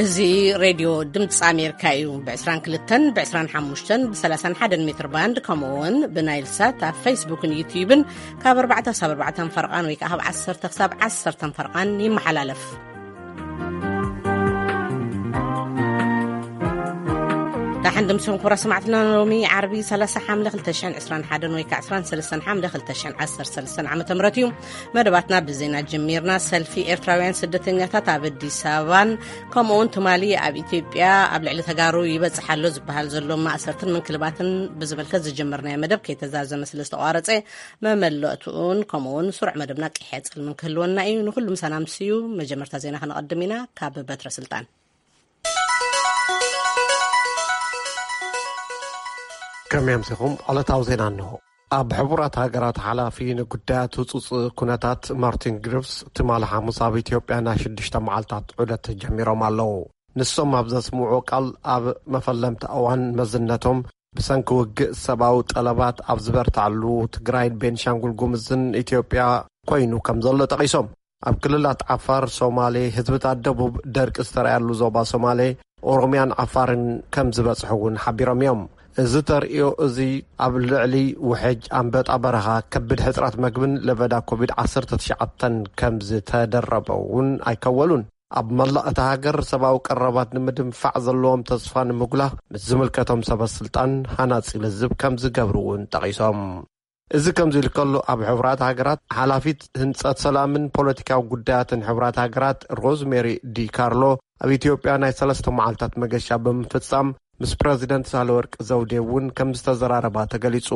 እዚ ሬድዮ ድምፂ ኣሜሪካ እዩ። ብ22፣ ብ25፣ ብ31 ሜትር ባንድ፣ ከምኡ እውን ብናይል ሳት ኣብ ፌስቡክን ዩትዩብን ካብ ኣርባዕተ ክሳብ ኣርባዕተ ፈርቓን ወይ ከዓ ካብ ዓሰርተ ክሳብ ዓሰርተ ፈርቓን ይመሓላለፍ። ዳሕን ድምፅኹም ክቡራት ሰማዕትና፣ ሎሚ ዓርቢ ሰላሳ ሓምለ ክልተ ሽሕን ዕስራን ሓደን ወይ ከዓ ዕስራን ሰለስተን ሓምለ ክልተ ሽሕን ዓሰርተ ሰለስተን ዓመተ ምህረት እዩ። መደባትና ብዜና ጀሚርና። ሰልፊ ኤርትራውያን ስደተኛታት ኣብ ኣዲስ ኣበባን ከምኡ እውን ትማሊ ኣብ ኢትዮጵያ ኣብ ልዕሊ ተጋሩ ይበጽሕ ኣሎ ዝበሃል ዘሎ ማእሰርትን ምንክልባትን ብዝምልከት ዝጀመርናዮ መደብ ከይተዛዘመ ስለ ዝተቋረጸ፣ መመለእትኡን ከምኡ እውን ስሩዕ መደብና ቀይሕ ጽልምን ክህልወና እዩ። ንኹሉም ሰላም ስዩ። መጀመርታ ዜና ከነቐድም ኢና። ካብ በትረ ስልጣን። ከመይ ኣምሲኹም? ዕለታዊ ዜና እንሆ። ኣብ ሕቡራት ሃገራት ሓላፊ ንጉዳያት ህጹጽ ኩነታት ማርቲን ግሪፍስ ትማሊ ሓሙስ ኣብ ኢትዮጵያ ናይ ሽዱሽተ መዓልታት ዑደት ጀሚሮም ኣለዉ። ንሶም ኣብ ዘስምዑ ቃል፣ ኣብ መፈለምቲ እዋን መዝነቶም ብሰንኪ ውግእ ሰብኣዊ ጠለባት ኣብ ዝበርትዓሉ ትግራይን ቤንሻንጉል ጉምዝን ኢትዮጵያ ኮይኑ ከም ዘሎ ጠቒሶም፣ ኣብ ክልላት ዓፋር፣ ሶማሌ፣ ህዝብታት ደቡብ ደርቂ ዝተረኣየሉ ዞባ ሶማሌ፣ ኦሮሚያን ዓፋርን ከም ዝበጽሑ እውን ሓቢሮም እዮም። እዚ ተርእዮ እዚ ኣብ ልዕሊ ውሕጅ ኣንበጣ በረኻ፣ ከቢድ ሕጽረት መግብን ለበዳ ኮቪድ ዓሰርተ ትሽዓተ ከም ዝተደረበ እውን ኣይከወሉን። ኣብ መላእ እታ ሃገር ሰብኣዊ ቀረባት ንምድንፋዕ ዘለዎም ተስፋ ንምጉላህ ምስ ዝምልከቶም ሰበ ስልጣን ሃናጺ ልዝብ ከም ዝገብሩ እውን ጠቒሶም። እዚ ከምዚ ኢሉ ከሎ፣ ኣብ ሕቡራት ሃገራት ሓላፊት ህንጸት ሰላምን ፖለቲካዊ ጉዳያትን ሕቡራት ሃገራት ሮዝሜሪ ዲ ካርሎ ኣብ ኢትዮጵያ ናይ ሰለስተ መዓልታት መገሻ ብምፍጻም ምስ ፕረዚደንት ሳህለወርቅ ዘውዴ እውን ከም ዝተዘራረባ ተገሊጹ።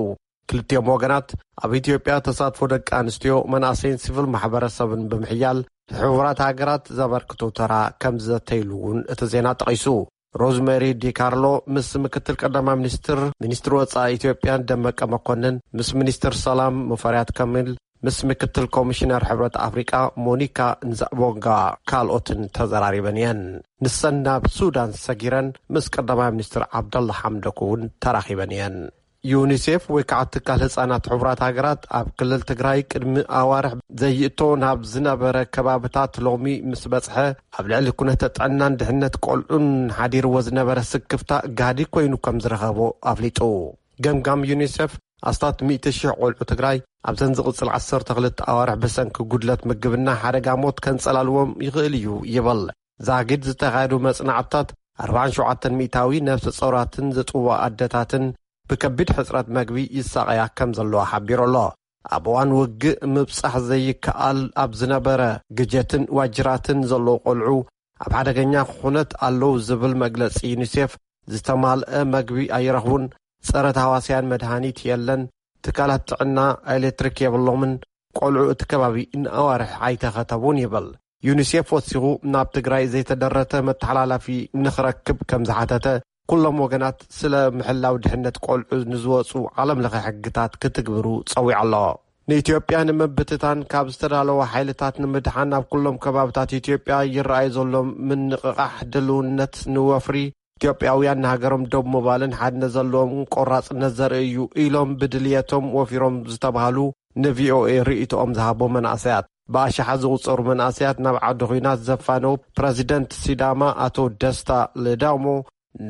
ክልቲኦም ወገናት ኣብ ኢትዮጵያ ተሳትፎ ደቂ ኣንስትዮ፣ መናእሰይን ሲቪል ማሕበረሰብን ብምሕያል ሕቡራት ሃገራት ዘበርክቶ ተራ ከም ዘተይሉ እውን እቲ ዜና ጠቒሱ። ሮዝሜሪ ዲካርሎ ምስ ምክትል ቀዳማይ ሚኒስትር፣ ሚኒስትር ወጻኢ ኢትዮጵያን ደመቀ መኮንን፣ ምስ ሚኒስትር ሰላም ሙፈሪያት ከሚል፣ ምስ ምክትል ኮሚሽነር ሕብረት ኣፍሪቃ ሞኒካ ንዛቦንጋ ካልኦትን ተዘራሪበን እየን። ንሰን ናብ ሱዳን ሰጊረን ምስ ቀዳማይ ሚኒስትር ዓብደላ ሓምዶክ እውን ተራኺበን እየን። ዩኒሴፍ ወይ ከዓ ትካል ህፃናት ሕቡራት ሃገራት ኣብ ክልል ትግራይ ቅድሚ ኣዋርሕ ዘይእቶ ናብ ዝነበረ ከባብታት ሎሚ ምስ በፅሐ፣ ኣብ ልዕሊ ኩነተ ጥዕናን ድሕነት ቆልዑን ሓዲርዎ ዝነበረ ስክፍታ ጋህዲ ኮይኑ ከም ዝረኸቦ ኣፍሊጡ። ገምጋም ዩኒሴፍ፣ ኣስታት ሚእቲ ሺሕ ቆልዑ ትግራይ ኣብዘን ዝቕፅል ዓሰርተ ክልተ ኣዋርሕ ብሰንኪ ጉድለት ምግብና ሓደጋ ሞት ከንፀላልዎም ይኽእል እዩ ይብል። ዛጊድ ዝተኻየዱ መጽናዕትታት፣ ኣርባዓን ሸውዓተን ሚእታዊ ነፍሰ ጾራትን ዝጥዋ ኣደታትን ብከቢድ ሕጽረት መግቢ ይሳቐያ ከም ዘለዋ ሓቢሩ ኣሎ። ኣብ እዋን ውግእ ምብጻሕ ዘይከኣል ኣብ ዝነበረ ግጀትን ዋጅራትን ዘለዉ ቆልዑ ኣብ ሓደገኛ ኩነት ኣለዉ ዝብል መግለጺ ዩኒሴፍ፣ ዝተማልአ መግቢ ኣይረኽቡን፣ ጸረ ተሃዋስያን መድሃኒት የለን፣ ትካላት ጥዕና ኤሌክትሪክ የብሎምን፣ ቆልዑ እቲ ከባቢ ንኣዋርሕ ኣይተኸተቡን ይብል። ዩኒሴፍ ወሲኹ፣ ናብ ትግራይ ዘይተደረተ መተሓላላፊ ንኽረክብ ከም ዝሓተተ፣ ኩሎም ወገናት ስለ ምሕላው ድሕነት ቆልዑ ንዝወፁ ዓለም ለኸ ሕግታት ክትግብሩ ጸዊዑ ኣሎ። ንኢትዮጵያ ንምብትታን ካብ ዝተዳለወ ሓይልታት ንምድሓን፣ ኣብ ኩሎም ከባብታት ኢትዮጵያ ይረኣይ ዘሎ ምንቕቓሕ ድልውነት ንወፍሪ ኢትዮጵያውያን ንሃገሮም ደው ምባልን ሓድነት ዘለዎም ቆራጽነት ዘርኢ እዩ ኢሎም ብድልየቶም ወፊሮም ዝተባህሉ ንቪኦኤ ርእይቶኦም ዝሃቦ መናእሰያት። ብኣሽሓት ዝቑጸሩ መናእሰያት ናብ ዓዲ ኹናት ዘፋነው ፕረዚደንት ሲዳማ ኣቶ ደስታ ሌዳሞ፣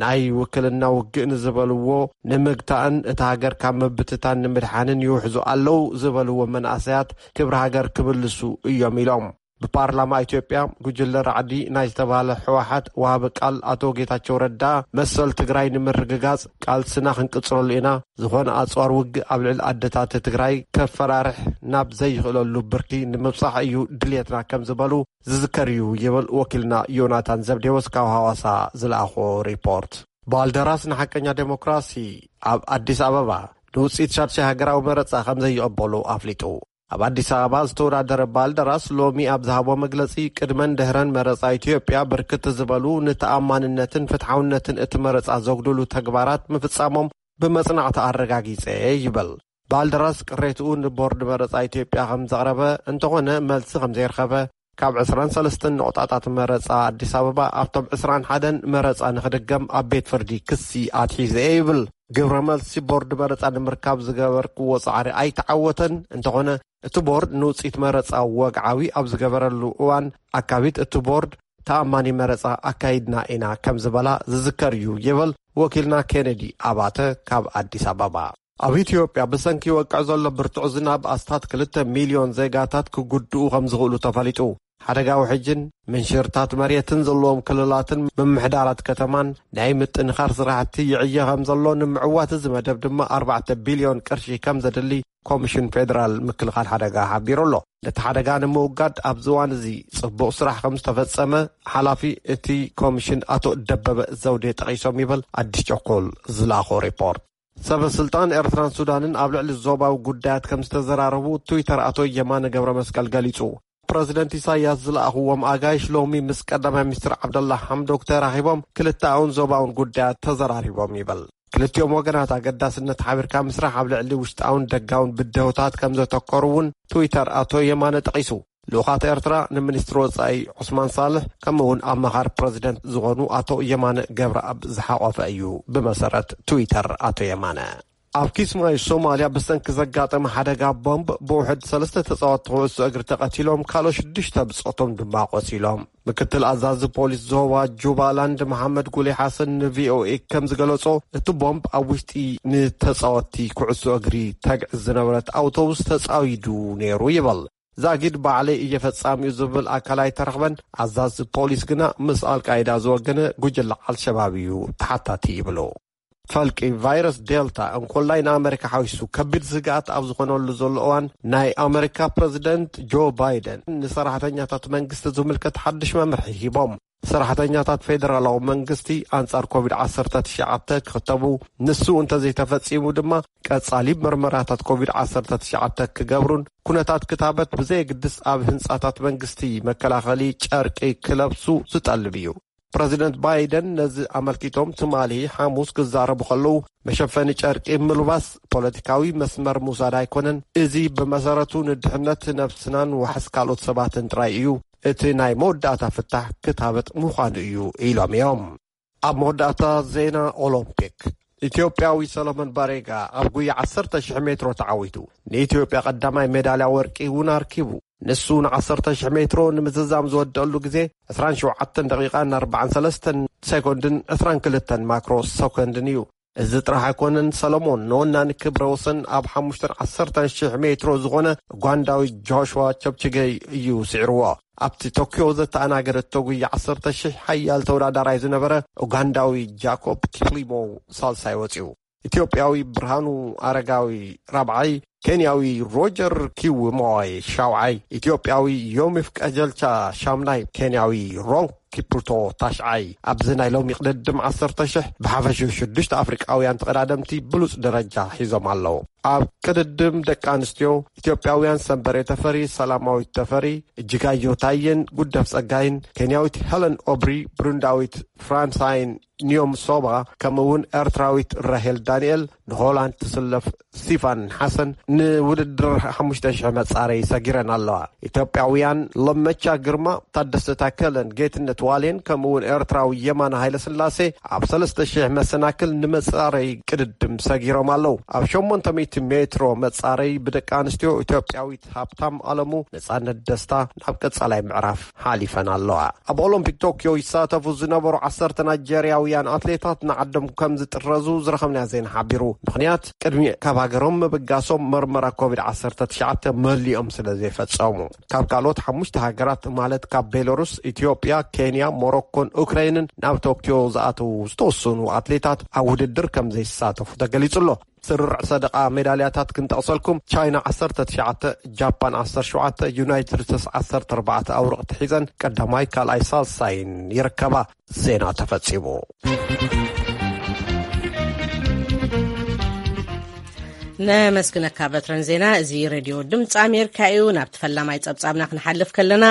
ናይ ውክልና ውግእ ንዝበልዎ ንምግታእን እታ ሃገር ካብ ምብትታን ንምድሓንን ይውሕዙ ኣለዉ ዝበልዎ መናእሰያት ክብሪ ሃገር ክብልሱ እዮም ኢሎም። ብፓርላማ ኢትዮጵያ ጉጅለ ራዕዲ ናይ ዝተባህለ ህወሓት ወሃቢ ቃል ኣቶ ጌታቸው ረዳ፣ መሰል ትግራይ ንምርግጋጽ ቃልስና ክንቅጽለሉ ኢና፣ ዝኾነ ኣጽዋር ውግእ ኣብ ልዕሊ ኣደታት ትግራይ ከፈራርሕ ናብ ዘይኽእለሉ ብርኪ ንምብጻሕ እዩ ድልየትና ከም ዝበሉ ዝዝከር እዩ ይብል ወኪልና ዮናታን ዘብዴዎስ ካብ ሃዋሳ ዝለኣኾ ሪፖርት። ባልደራስ ንሓቀኛ ዴሞክራሲ ኣብ ኣዲስ ኣበባ ንውጽኢት ሻድሻይ ሃገራዊ መረጻ ከም ዘይቕበሉ ኣፍሊጡ። ኣብ ኣዲስ ኣበባ ዝተወዳደረ ባልደራስ ሎሚ ኣብ ዝሃቦ መግለጺ፣ ቅድመን ድሕረን መረጻ ኢትዮጵያ ብርክት ዝበሉ ንተኣማንነትን ፍትሓውነትን እቲ መረጻ ዘጉድሉ ተግባራት ምፍጻሞም ብመጽናዕቲ ኣረጋጊጸ ይብል። ባልደራስ ቅሬትኡ ንቦርድ መረጻ ኢትዮጵያ ከም ዘቕረበ፣ እንተኾነ መልሲ ከም ዘይረኸበ፣ ካብ ዕስራን ሰለስተን ነቑጣታት መረጻ ኣዲስ ኣበባ ኣብቶም ዕስራን ሓደን መረጻ ንኽድገም ኣብ ቤት ፍርዲ ክሲ ኣትሒዘ እየ ይብል። ግብረ መልሲ ቦርድ መረጻ ንምርካብ ዝገበርክዎ ጻዕሪ ኣይተዓወተን። እንተኾነ፣ እቲ ቦርድ ንውጽኢት መረጻ ወግዓዊ ኣብ ዝገበረሉ እዋን፣ ኣካቢት እቲ ቦርድ ተኣማኒ መረጻ ኣካይድና ኢና ከም ዝበላ ዝዝከር እዩ ይብል ወኪልና ኬነዲ ኣባተ ካብ ኣዲስ ኣበባ። ኣብ ኢትዮጵያ ብሰንኪ ይወቅዕ ዘሎ ብርቱዕ ዝናብ ኣስታት ክልተ ሚልዮን ዜጋታት ክጉድኡ ከም ዝኽእሉ ተፈሊጡ። ሓደጋ ውሕጅን ምንሽርታት መሬትን ዘለዎም ክልላትን ምምሕዳራት ከተማን ናይ ምጥንኻር ስራሕቲ ይዕየ ከም ዘሎ ንምዕዋት እዚ መደብ ድማ ኣርባዕተ ቢልዮን ቅርሺ ከም ዘድሊ ኮሚሽን ፌደራል ምክልኻል ሓደጋ ሓቢሩ ኣሎ። ነቲ ሓደጋ ንምውጋድ ኣብዚ እዋን እዚ ጽቡቕ ስራሕ ከም ዝተፈጸመ ሓላፊ እቲ ኮሚሽን ኣቶ ደበበ ዘውዴ ጠቒሶም ይብል ኣዲስ ቸኮል ዝላኾ ሪፖርት። ሰበ ስልጣን ኤርትራን ሱዳንን ኣብ ልዕሊ ዞባዊ ጉዳያት ከም ዝተዘራረቡ ትዊተር ኣቶ የማነ ገብረ መስቀል ገሊጹ። ፕረዚደንት ኢሳያስ ዝለኣኽዎም ኣጋይሽ ሎሚ ምስ ቀዳማይ ሚኒስትር ዓብደላ ሓምዶክ ተራኺቦም ክልተኣውን ዞባውን ጉዳያት ተዘራሪቦም ይብል። ክልቲኦም ወገናት ኣገዳስነት ሓቢርካ ምስራሕ ኣብ ልዕሊ ውሽጣውን ደጋውን ብድሆታት ከም ዘተኮሩ እውን ትዊተር ኣቶ የማነ ጠቒሱ። ልኡኻት ኤርትራ ንሚኒስትሪ ወጻኢ ዑስማን ሳልሕ ከምኡ እውን ኣማኻሪ ፕረዚደንት ዝኾኑ ኣቶ የማነ ገብረኣብ ዝሓቖፈ እዩ፣ ብመሰረት ትዊተር ኣቶ የማነ። ኣብ ኪስማዩ ሶማልያ ብሰንኪ ዘጋጠመ ሓደጋ ቦምብ ብውሕድ ሰለስተ ተጻወትቲ ኩዕሶ እግሪ ተቐቲሎም፣ ካልኦት ሽዱሽተ ብጾቶም ድማ ቆሲሎም። ምክትል ኣዛዚ ፖሊስ ዞባ ጁባላንድ መሓመድ ጉሌ ሓሰን ንቪኦኤ ከም ዝገለጾ፣ እቲ ቦምብ ኣብ ውሽጢ ንተጻወትቲ ኩዕሶ እግሪ ተግዕዝ ዝነበረት ኣውቶቡስ ተጻዊዱ ነይሩ ይበል። ዛጊድ ባዕለይ እየ ፈጻሚኡ ዝብል ኣካል ኣይተረኽበን። ኣዛዚ ፖሊስ ግና ምስ ኣልቃይዳ ዝወገነ ጉጅለ ኣልሸባብ እዩ ተሓታቲ ይብሉ። ፈልቂ ቫይረስ ዴልታ እንኮላይ ንኣመሪካ ሓዊሱ ከቢድ ስግኣት ኣብ ዝኾነሉ ዘሎ እዋን፣ ናይ ኣመሪካ ፕረዚደንት ጆ ባይደን ንሰራሕተኛታት መንግስቲ ዝምልከት ሓድሽ መምርሒ ሂቦም። ሰራሕተኛታት ፌደራላዊ መንግስቲ ኣንጻር ኮቪድ ዓሰርተ ትሽዓተ ክኽተቡ፣ ንሱ እንተዘይተፈጺሙ ድማ ቀጻሊ መርመራታት ኮቪድ ዓሰርተ ትሽዓተ ክገብሩን ኩነታት ክታበት ብዘየግድስ ኣብ ህንጻታት መንግስቲ መከላኸሊ ጨርቂ ክለብሱ ዝጠልብ እዩ። ፕረዚደንት ባይደን ነዚ ኣመልኪቶም ትማሊ ሓሙስ ክዛረቡ ከለዉ፣ መሸፈኒ ጨርቂ ምልባስ ፖለቲካዊ መስመር ምውሳድ ኣይኮነን፣ እዚ ብመሰረቱ ንድሕነት ነብስናን ዋሕስ ካልኦት ሰባትን ጥራይ እዩ፣ እቲ ናይ መወዳእታ ፍታሕ ክታበት ምዃኑ እዩ ኢሎም እዮም። ኣብ መወዳእታ ዜና ኦሎምፒክ፣ ኢትዮጵያዊ ሰሎሞን ባሬጋ ኣብ ጉያ ዓሰርተ ሽሕ ሜትሮ ተዓዊቱ ንኢትዮጵያ ቀዳማይ ሜዳልያ ወርቂ እውን ኣርኪቡ። ንሱ ን ዓሰርተ ሽሕ ሜትሮ ንምዝዛም ዝወደአሉ ግዜ ዕስራን ሸውዓተን ደቂቓን ኣርባዓን ሰለስተን ሴኮንድን ዕስራን ክልተን ማክሮ ሰኮንድን እዩ። እዚ ጥራሕ ኣይኮነን፣ ሰሎሞን ንወናኒ ክብረ ወሰን ኣብ ሓሙሽተን ዓሰርተን ሽሕ ሜትሮ ዝኾነ ኡጋንዳዊ ጆሽዋ ቸፕችገይ እዩ ስዒርዎ። ኣብቲ ቶክዮ ዘተኣናገደቶ ጉያ ዓሰርተ ሽሕ ሓያል ተወዳዳራይ ዝነበረ ኡጋንዳዊ ጃኮብ ኪፕሊሞ ሳልሳይ ወፂኡ። ኢትዮጵያዊ ብርሃኑ ኣረጋዊ ራብዓይ፣ ኬንያዊ ሮጀር ኪውሞይ ሻውዓይ፣ ኢትዮጵያዊ ዮሚፍ ቀጀልቻ ሻምናይ፣ ኬንያዊ ሮንግ ኪፕሩቶ ታሽዓይ። ኣብዚ ናይ ሎሚ ቅድድም ዓሰርተ ሽሕ ብሓፈሽኡ ሽዱሽተ ኣፍሪቃውያን ተቐዳደምቲ ብሉጽ ደረጃ ሒዞም ኣለዉ። ኣብ ቅድድም ደቂ ኣንስትዮ፣ ኢትዮጵያውያን ሰንበሬ ተፈሪ፣ ሰላማዊት ተፈሪ፣ እጅጋዮ ታየን ጉደፍ ጸጋይን፣ ኬንያዊት ሄለን ኦብሪ፣ ብሩንዳዊት ፍራንሳይን ኒዮም ሶባ፣ ከምኡ እውን ኤርትራዊት ራሄል ዳንኤል፣ ንሆላንድ ትስለፍ ስቲፋን ሓሰን ንውድድር ሓሙሽተ ሽሕ መጻረይ ሰጊረን ኣለዋ። ኢትዮጵያውያን ለመቻ ግርማ፣ ታደሰ ታከለን ጌትነት ዋሌን፣ ከምኡ እውን ኤርትራዊ የማነ ሃይለስላሴ ኣብ ሰለስተ ሽሕ መሰናክል ንመጻረይ ቅድድም ሰጊሮም ኣለዉ። ኣብ ሸሞንተ ሚእቲ ሜትሮ መጻረይ ብደቂ ኣንስትዮ፣ ኢትዮጵያዊት ሃብታም ኣለሙ፣ ነጻነት ደስታ ናብ ቀጻላይ ምዕራፍ ሓሊፈን ኣለዋ። ኣብ ኦሎምፒክ ቶክዮ ይሳተፉ ዝነበሩ ዓሰርተ ናይጀርያውያን ኣትሌታት ንዓዶም ከም ዝጥረዙ ዝረኸብናዮ ዜና ሓቢሩ። ምኽንያት፣ ቅድሚ ካብ ሃገሮም ምብጋሶም መርመራ ኮቪድ ዓሰርተ ትሽዓተ መሊኦም ስለ ዘይፈጸሙ። ካብ ካልኦት ሓሙሽተ ሃገራት፣ ማለት ካብ ቤላሩስ፣ ኢትዮጵያ፣ ኬንያ፣ ሞሮኮን ኡክራይንን ናብ ቶክዮ ዝኣተዉ ዝተወሰኑ ኣትሌታት ኣብ ውድድር ከም ዘይሳተፉ ተገሊጹ ኣሎ። ስርርዕ ሰደቓ ሜዳልያታት ክንጠቕሰልኩም፣ ቻይና ዓሰርተ ትሽዓተ፣ ጃፓን ዓሰርተ ሸውዓተ፣ ዩናይትድ ስቴትስ ዓሰርተ ኣርባዕተ ኣውርቕቲ ሒዘን ቀዳማይ፣ ካልኣይ፣ ሳልሳይን ይርከባ። ዜና ተፈጺሙ። ነመስግነካ በትረን ዜና። እዚ ሬድዮ ድምፂ ኣሜሪካ እዩ። ናብቲ ፈላማይ ጸብጻብና ክንሓልፍ ከለና፣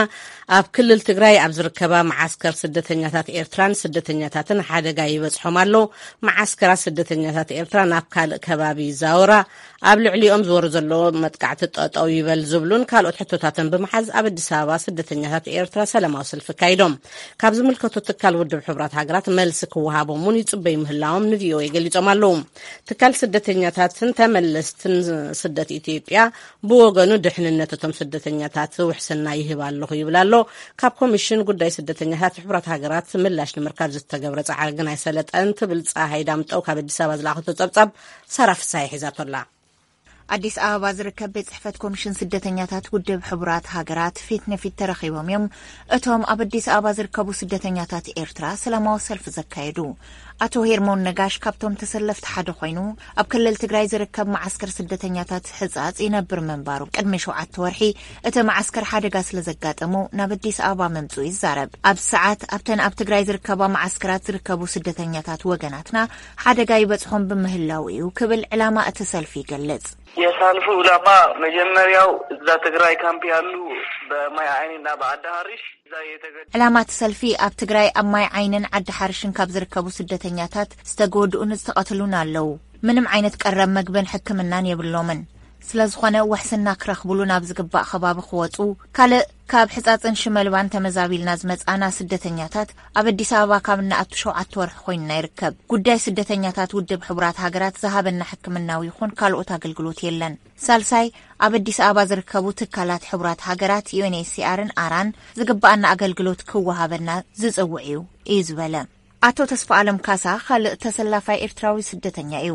ኣብ ክልል ትግራይ ኣብ ዝርከባ መዓስከር ስደተኛታት ኤርትራን ስደተኛታትን ሓደጋ ይበጽሖም ኣሎ። መዓስከራት ስደተኛታት ኤርትራ ናብ ካልእ ከባቢ ይዛወራ፣ ኣብ ልዕሊኦም ዝወርድ ዘሎ መጥቃዕቲ ጠጠው ይበል ዝብሉን ካልኦት ሕቶታትን ብምሓዝ ኣብ ኣዲስ ኣበባ ስደተኛታት ኤርትራ ሰላማዊ ሰልፊ ኣካይዶም። ካብ ዝምልከቶ ትካል ውድብ ሕቡራት ሃገራት መልሲ ክወሃቦም እውን ይጽበዩ ምህላዎም ንቪኦኤ ገሊጾም ኣለዉ። ትካል ስደተኛታትን ተመለስትን ስደት ኢትዮጵያ ብወገኑ ድሕንነት እቶም ስደተኛታት ውሕስና ይህብ ኣለኹ ይብል ኣሎ። ካብ ኮሚሽን ጉዳይ ስደተኛታት ሕቡራት ሃገራት ምላሽ ንምርካብ ዝተገብረ ጻዕሪ ግን ኣይሰለጠን ትብል ጸሃይ ዳምጠው ካብ ኣዲስ ኣበባ ዝለኣኸቶ ጸብጻብ ሳራ ፍሳሐ ሒዛቶ ኣላ። ኣዲስ ኣበባ ዝርከብ ቤት ጽሕፈት ኮሚሽን ስደተኛታት ውድብ ሕቡራት ሃገራት ፊት ንፊት ተረኺቦም እዮም እቶም ኣብ ኣዲስ ኣበባ ዝርከቡ ስደተኛታት ኤርትራ ሰላማዊ ሰልፊ ዘካየዱ። ኣቶ ሄርሞን ነጋሽ ካብቶም ተሰለፍቲ ሓደ ኮይኑ፣ ኣብ ክልል ትግራይ ዝርከብ መዓስከር ስደተኛታት ሕጻጽ ይነብር ምንባሩ፣ ቅድሚ ሸውዓተ ወርሒ እቲ መዓስከር ሓደጋ ስለ ዘጋጠሞ ናብ ኣዲስ ኣበባ ምምጽኡ ይዛረብ። ኣብ ሰዓት ኣብተን ኣብ ትግራይ ዝርከባ መዓስከራት ዝርከቡ ስደተኛታት ወገናትና ሓደጋ ይበጽሖም ብምህላው እዩ ክብል ዕላማ እቲ ሰልፊ ይገልጽ። የሳልፉ ዕላማ መጀመሪያው እዛ ትግራይ ካምፕ ያሉ በማይ አይንና በአዳሃሪሽ እዛ የተገ ዕላማ እቲ ሰልፊ ኣብ ትግራይ ኣብ ማይ ዓይንን ዓዲ ሓርሽን ካብ ዝርከቡ ስደተኛታት ዝተጎድኡን ዝተቐትሉን ኣለዉ። ምንም ዓይነት ቀረብ መግብን ሕክምናን የብሎምን። ስለ ዝኾነ ውሕስና ክረኽብሉ ናብ ዝግባእ ከባቢ ክወጹ፣ ካልእ ካብ ሕጻጽን ሽመልባን ተመዛቢልና ዝመጻና ስደተኛታት ኣብ ኣዲስ ኣበባ ካብ እንኣቱ ሸውዓተ ወርሒ ኮይንና ይርከብ። ጉዳይ ስደተኛታት ውድብ ሕቡራት ሃገራት ዝሃበና ሕክምናዊ ይኹን ካልኦት ኣገልግሎት የለን። ሳልሳይ፣ ኣብ ኣዲስ ኣበባ ዝርከቡ ትካላት ሕቡራት ሃገራት ዩ ኤን ኤች ሲ ኣርን ኣራን ዝግባኣና ኣገልግሎት ክወሃበና ዝጽውዕ እዩ እዩ ዝበለ። ኣቶ ተስፋ ኣለም ካሳ ካልእ ተሰላፋይ ኤርትራዊ ስደተኛ እዩ።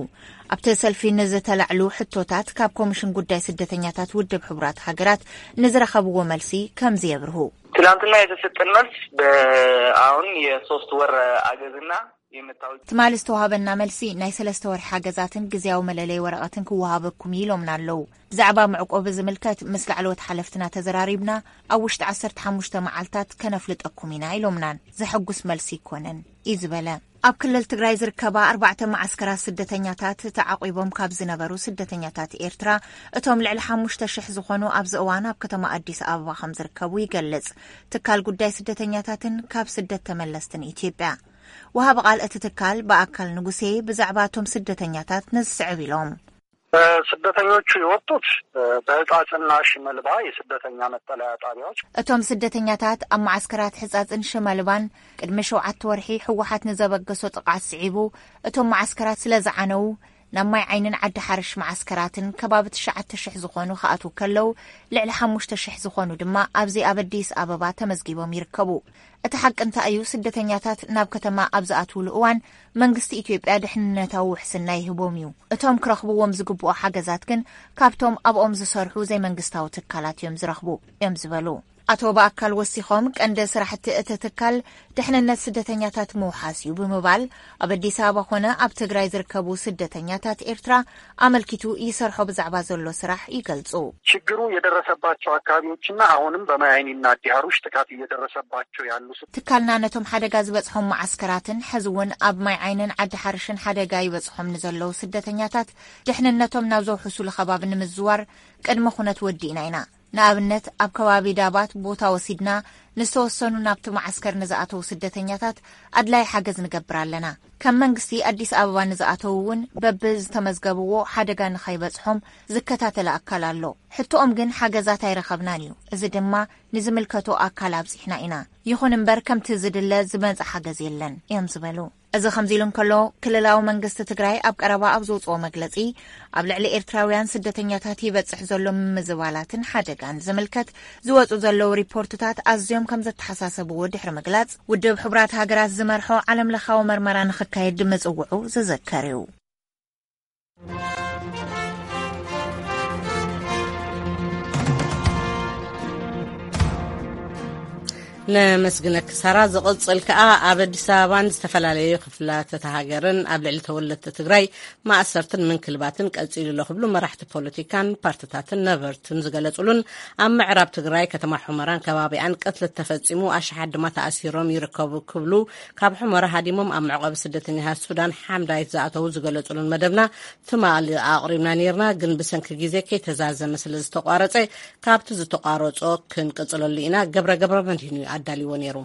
ኣብቲ ሰልፊ ንዝተላዕሉ ሕቶታት ካብ ኮሚሽን ጉዳይ ስደተኛታት ውድብ ሕቡራት ሃገራት ንዝረኸብዎ መልሲ ከምዚ የብርሁ። ትላንትና የተሰጠን መልስ በአሁን የሶስት ወር አገዝና የመጣው ትማሊ ዝተዋሃበና መልሲ ናይ ሰለስተ ወርሒ ሓገዛትን ግዝያዊ መለለይ ወረቐትን ክወሃበኩም እዩ ኢሎምና ኣለዉ። ብዛዕባ መዕቆቢ ዝምልከት ምስ ላዕለዎት ሓለፍትና ተዘራሪብና ኣብ ውሽጢ ዓሰርተ ሓሙሽተ መዓልታት ከነፍልጠኩም ኢና ኢሎምናን ዘሐጉስ መልሲ ይኮነን እዩ ዝበለ። ኣብ ክልል ትግራይ ዝርከባ ኣርባዕተ መዓስከራት ስደተኛታት ተዓቂቦም ካብ ዝነበሩ ስደተኛታት ኤርትራ እቶም ልዕሊ ሓሙሽተ ሽሕ ዝኾኑ ኣብዚ እዋን ኣብ ከተማ ኣዲስ ኣበባ ከም ዝርከቡ ይገልጽ። ትካል ጉዳይ ስደተኛታትን ካብ ስደት ተመለስትን ኢትዮጵያ። ወሃቢ ቃል እቲ ትካል ብኣካል ንጉሴ ብዛዕባ እቶም ስደተኛታት ነዚ ስዕብ ኢሎም። ስደተኞቹ የወጡት በህጻጽና ሽመልባ የስደተኛ መጠለያ ጣቢያዎች። እቶም ስደተኛታት ኣብ መዓስከራት ሕጻጽን ሽመልባን ቅድሚ ሸውዓተ ወርሒ ህወሓት ንዘበገሶ ጥቕዓት ስዒቡ እቶም መዓስከራት ስለ ዝዓነዉ ናብ ማይ ዓይንን ዓዲ ሓርሽ መዓስከራትን ከባቢ ትሽዓተ ሽሕ ዝኾኑ ክኣትዉ ከለዉ ልዕሊ ሓሙሽተ ሽሕ ዝኾኑ ድማ ኣብዚ ኣብ ኣዲስ ኣበባ ተመዝጊቦም ይርከቡ። እቲ ሓቂ እንታይ እዩ? ስደተኛታት ናብ ከተማ ኣብ ዝኣትውሉ እዋን መንግስቲ ኢትዮጵያ ድሕንነታዊ ውሕስና ይህቦም እዩ። እቶም ክረኽብዎም ዝግብኦ ሓገዛት ግን ካብቶም ኣብኦም ዝሰርሑ ዘይመንግስታዊ ትካላት እዮም ዝረኽቡ እዮም ዝበሉ። ኣቶ ብኣካል ወሲኾም ቀንዲ ስራሕቲ እቲ ትካል ድሕንነት ስደተኛታት ምውሓስ እዩ ብምባል ኣብ ኣዲስ ኣበባ ኮነ ኣብ ትግራይ ዝርከቡ ስደተኛታት ኤርትራ ኣመልኪቱ ይሰርሖ ብዛዕባ ዘሎ ስራሕ ይገልጹ። ችግሩ የደረሰባቸው አካባቢዎችና አሁንም በማይ አይኒና ዲሃሩሽ ጥቃት እየደረሰባቸው ያሉ ስ- ትካልና ነቶም ሓደጋ ዝበጽሖም መዓስከራትን ሕዚ እውን ኣብ ማይ ዓይንን ዓዲ ሓርሽን ሓደጋ ይበጽሖም ንዘለዉ ስደተኛታት ድሕንነቶም ናብ ዘውሕሱሉ ከባቢ ንምዝዋር ቅድመ ኩነት ወዲእና ኢና። ንኣብነት ኣብ ከባቢ ዳባት ቦታ ወሲድና ንዝተወሰኑ ናብቲ መዓስከር ንዝኣተዉ ስደተኛታት ኣድላይ ሓገዝ ንገብር ኣለና። ከም መንግስቲ ኣዲስ ኣበባ ንዝኣተዉ እውን በብዝተመዝገብዎ ሓደጋ ንኸይበጽሖም ዝከታተል ኣካል ኣሎ። ሕቶኦም ግን ሓገዛት ኣይረኸብናን እዩ። እዚ ድማ ንዝምልከቶ ኣካል ኣብጺሕና ኢና። ይኹን እምበር ከምቲ ዝድለ ዝመጸ ሓገዝ የለን እዮም ዝበሉ። እዚ ከምዚ ኢሉ እንከሎ ክልላዊ መንግስቲ ትግራይ ኣብ ቀረባ ኣብ ዘውፅኦ መግለፂ ኣብ ልዕሊ ኤርትራውያን ስደተኛታት ይበፅሕ ዘሎ ምምዝባላትን ሓደጋን ዝምልከት ዝወፁ ዘለዉ ሪፖርትታት ኣዝዮም ከም ዘተሓሳሰብዎ ድሕሪ ምግላፅ ውድብ ሕቡራት ሃገራት ዝመርሖ ዓለም ለኻዊ መርመራ ንክካየድ ምፅውዑ ዝዝከር እዩ። ነመስግነኪ ሳራ። ዝቕጽል ከኣ ኣብ ኣዲስ ኣበባን ዝተፈላለዩ ክፍላት እታ ሃገርን ኣብ ልዕሊ ተወለድቲ ትግራይ ማእሰርትን ምንክልባትን ቀጺሉ ኣሎ ክብሉ መራሕቲ ፖለቲካን ፓርትታትን ነበርትን ዝገለጹሉን ኣብ ምዕራብ ትግራይ ከተማ ሑመራን ከባቢኣን ቅትለት ተፈጺሙ ኣሽሓት ድማ ተኣሲሮም ይርከቡ ክብሉ ካብ ሑመራ ሃዲሞም ኣብ መዕቆቢ ስደተኛታት ሱዳን ሓምዳይት ዝኣተዉ ዝገለጹሉን መደብና ትማሊ ኣቕሪብና ነይርና፣ ግን ብሰንኪ ግዜ ከይተዛዘመ ስለ ዝተቋረጸ ካብቲ ዝተቋረጾ ክንቅጽለሉ ኢና። ገብረ ገብረ መድህን እዩ ኣዳልይዎ ነይሩ።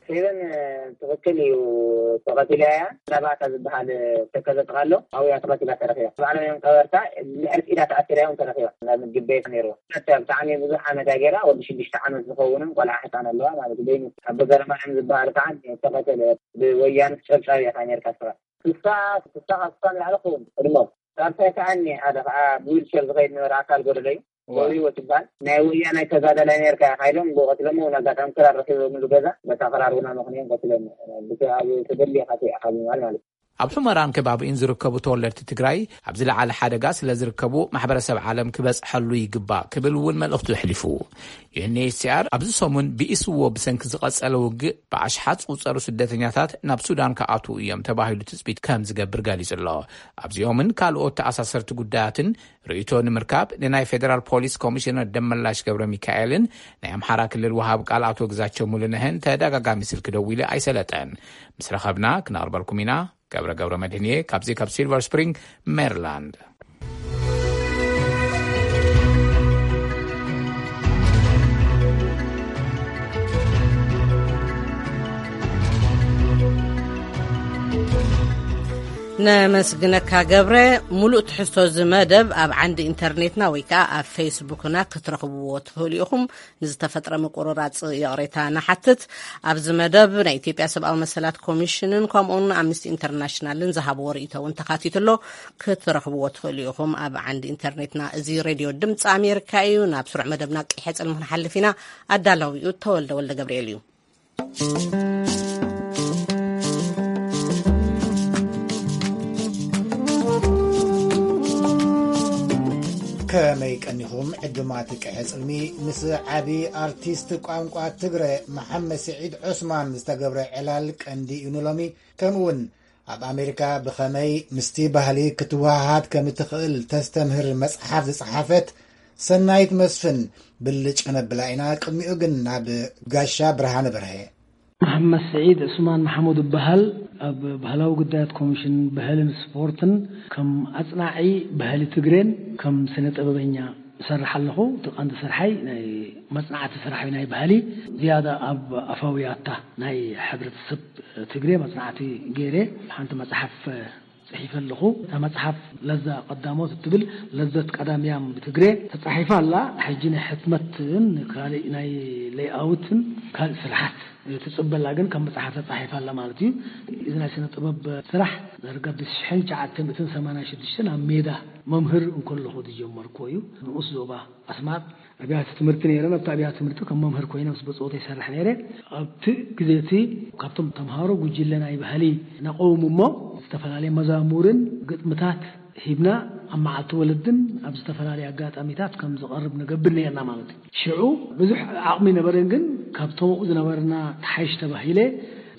ፌቨን ትኽክል እዩ፣ ተቐቲላ እያ። ናባታ ዝበሃል ተከዘ ጥቓሎ ኣብያ ተቐቲላ ተረኺባ። ባዕሎም እዮም ቀበርታ ልዕሊ ኢዳ ተኣሲራ እዮም ተረኺባ። ናብ ምግቢ ቤት ነይርዋ። ብጣዕሚ ብዙሕ ዓመት እያ ገይራ፣ ወዲ ሽዱሽተ ዓመት ዝኸውንን ቆልዓ ሕፃን ኣለዋ ማለት እዩ። በይኑ ኣቦ ገረማርያም ዝበሃል ከዓ ተቐተለ፣ ብወያነ ጨብጫብ እያ ካብ ኣሜሪካ ስራ። ስሳ ስሳ ካብ ስሳ ንላዕሊ ክኸውን ቅድሞም። ሳልሳይ ከዓ እኒ ሓደ ከዓ ብዊልቸር ዝኸይድ ነበረ ኣካል ጎደሎ እዩ። ወሪዎ ትበሃል ናይ ወያናይ ተጋዳላይ ነርካ ኢኻ ኢሎም ብኡ ቀትሎም እውን ኣጋጣሚ ክራር ረኪቦምሉ ገዛ በታ ክራር እውን ኣመኽንዮም ቀትሎም። ብቲ ኣብ ተደልየካ ኢኻ ብምባል ማለት እዩ። ኣብ ሑመራን ከባቢኡን ዝርከቡ ተወለድቲ ትግራይ ኣብ ዝለዓለ ሓደጋ ስለ ዝርከቡ ማሕበረሰብ ዓለም ክበፅሐሉ ይግባእ ክብል እውን መልእኽቱ ኣሕሊፉ። ዩ ኤን ኤች ሲ ኣር ኣብዚ ሰሙን ብኢስዎ ብሰንኪ ዝቐጸለ ውግእ ብኣሽሓት ዝቑጸሩ ስደተኛታት ናብ ሱዳን ክኣትዉ እዮም ተባሂሉ ትጽቢት ከም ዝገብር ገሊጹ ኣሎ። ኣብዚኦምን ካልኦት ተኣሳሰርቲ ጉዳያትን ርእይቶ ንምርካብ ንናይ ፌደራል ፖሊስ ኮሚሽነር ደመላሽ ገብረ ሚካኤልን ናይ ኣምሓራ ክልል ወሃብ ቃል ኣቶ ግዛቸው ሙሉነህን ተደጋጋሚ ስልኪ ደዊለ ኣይሰለጠን። ምስ ረኸብና ክነቕርበልኩም ኢና። ገብረ ገብረ መድህንየ ካብዚ ካብ ሲልቨር ስፕሪንግ ሜሪላንድ። ነመስግነካ ገብረ። ሙሉእ ትሕዝቶ እዚ መደብ ኣብ ዓንዲ ኢንተርኔትና ወይ ከዓ ኣብ ፌስቡክና ክትረኽብዎ ትኽእሉ ኢኹም። ንዝተፈጥረ ምቁርራፅ ይቕሬታ ንሓትት። ኣብዚ መደብ ናይ ኢትዮጵያ ሰብኣዊ መሰላት ኮሚሽንን ከምኡውን ኣምነስቲ ኢንተርናሽናልን ዝሃብዎ ርእይቶ እውን ተኻቲቱ ኣሎ። ክትረኽብዎ ትኽእሉ ኢኹም ኣብ ዓንዲ ኢንተርኔትና። እዚ ሬድዮ ድምፂ ኣሜሪካ እዩ። ናብ ስሩዕ መደብና ቀይሐ ፅልሚ ክንሓልፍ ኢና። ኣዳላዊኡ ተወልደ ወልደ ገብርኤል እዩ። ከመይ ቀኒኹም ዕዱማት ቀሐ ጽልሚ? ምስ ዓቢ ኣርቲስት ቋንቋ ትግረ መሓመድ ስዒድ ዑስማን ዝተገብረ ዕላል ቀንዲ እዩ ንሎሚ። ከምኡውን ኣብ ኣሜሪካ ብኸመይ ምስቲ ባህሊ ክትወሃሃድ ከም እትኽእል ተስተምህር መጽሓፍ ዝጸሓፈት ሰናይት መስፍን ብልጭ ከነብላ ኢና። ቅድሚኡ ግን ናብ ጋሻ ብርሃነ በርሀ። መሓመድ ስዒድ ዑስማን መሓሙድ እበሃል። ኣብ ባህላዊ ጉዳያት ኮሚሽን ባህልን ስፖርትን ከም ኣጽናዒ ባህሊ ትግሬን ከም ስነ ጥበበኛ እሰርሕ ኣለኹ። እቲ ቀንዲ ስርሓይ ናይ መጽናዕቲ ስራሕ እዩ። ናይ ባህሊ ዝያዳ ኣብ ኣፋውያታ ናይ ሕብረተሰብ ትግሬ መጽናዕቲ ገይረ ሓንቲ መጽሓፍ ጽሒፈ ኣለኹ። እታ መጽሓፍ ለዛ ቀዳሞት እትብል ለዘት ቀዳምያም ብትግሬ ተጻሒፋ ኣላ። ሕጂ ናይ ሕትመትን ካልእ ናይ ሌይኣውትን ካልእ ስርሓት ትጽበላ ግን ከም መጽሓፍ ተጻሒፋ ኣላ ማለት እዩ። እዚ ናይ ስነ ጥበብ ስራሕ ዳርጋ ብሽሕን ትሽዓተ ሚእትን ሰማንያን ሽዱሽተን ኣብ ሜዳ መምህር እንከለኹ ዝጀመርኩዎ እዩ። ንኡስ ዞባ ኣስማጥ ኣብያተ ትምህርቲ ነይረን። ኣብቲ ኣብያተ ትምህርቲ ከም መምህር ኮይነ ምስ ብጾተይ ይሰርሕ ነይረ። ኣብቲ ግዜ እቲ ካብቶም ተምሃሮ ጉጅለ ናይ ባህሊ ነቐውም እሞ ዝተፈላለየ መዛሙርን ግጥምታት ሂብና ኣብ መዓልቲ ወለድን ኣብ ዝተፈላለየ ኣጋጣሚታት ከም ዝቐርብ ንገብር ነይርና ማለት እዩ። ሽዑ ብዙሕ ዓቕሚ ነበረን፣ ግን ካብቶም ኣብኡ ዝነበርና ተሓይሽ ተባሂለ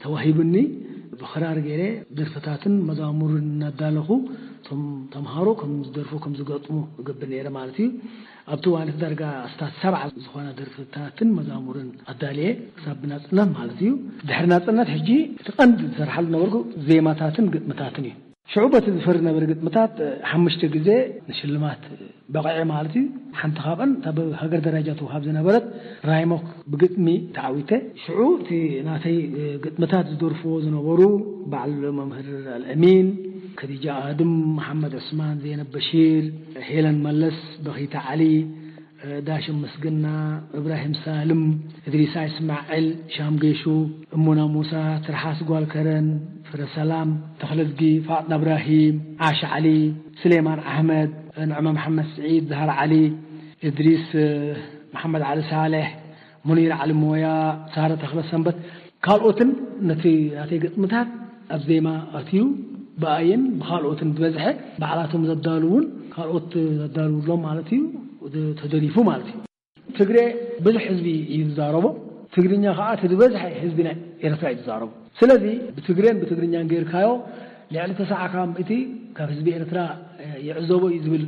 ተዋሂቡኒ። ብኽራር ገይረ ደርፍታትን መዛሙርን እናዳለኹ እቶም ተምሃሮ ከም ዝደርፉ ከም ዝገጥሙ እገብር ነይረ ማለት እዩ። ኣብቲ እዋን እቲ ዳርጋ ኣስታት ሰብዓ ዝኾና ደርፍታትን መዛሙርን ኣዳልየ ክሳብ ብናጽነት ማለት እዩ። ድሕሪ ናጽነት ሕጂ እቲ ቀንዲ ዝሰርሓሉ ነበርኩ ዜማታትን ግጥምታትን እዩ። ሽዑ በቲ ዝፈሪ ነበረ ግጥምታት ሓሙሽተ ግዜ ንሽልማት በቕዐ ማለት እዩ። ሓንቲ ካብአን እታ ብሃገር ደረጃ ትወሃብ ዝነበረት ራይሞክ ብግጥሚ ተዓዊተ። ሽዑ እቲ ናተይ ግጥምታት ዝደርፍዎ ዝነበሩ በዓል መምህር ኣልኣሚን፣ ከዲጃ ኣድም፣ መሓመድ ዑስማን፣ ዜነብ በሺር፣ ሄለን መለስ፣ በኺታ ዓሊ፣ ዳሽም ምስግና፣ እብራሂም ሳልም፣ እድሪሳ እስማዕል፣ ሻም ጌሹ፣ እሙና ሙሳ፣ ትርሓስ ጓል ከረን፣ ፍረ ሰላም፣ ተኽለዝጊ፣ ፋጥና እብራሂም፣ ዓሽ ዓሊ፣ ስሌማን ኣሕመድ፣ ንዕመ መሓመድ ስዒድ፣ ዛህራ ዓሊ፣ እድሪስ መሓመድ ዓሊ ሳልሕ፣ ሙኒር ዓሊ ሞያ፣ ሳረ ተኽለ ሰንበት፣ ካልኦትን ነቲ ናተይ ግጥምታት ኣብ ዜማ ኣትዩ ብኣይን ብኻልኦትን ዝበዝሐ ባዕላቶም ዘዳልውን ካልኦት ዘዳልውሎም ማለት እዩ ተደሪፉ ማለት እዩ። ትግሬ ብዙሕ ህዝቢ እዩ ዝዛረቦ። ትግርኛ ከዓ እቲ ዝበዝሐ ህዝቢ ናይ ኤርትራ እዩ ዝዛረቦ። ስለዚ ብትግሬን ብትግርኛን ጌርካዮ ልዕሊ ተስዓ ካብ ምእቲ ካብ ህዝቢ ኤርትራ ይዕዘቦ እዩ ዝብል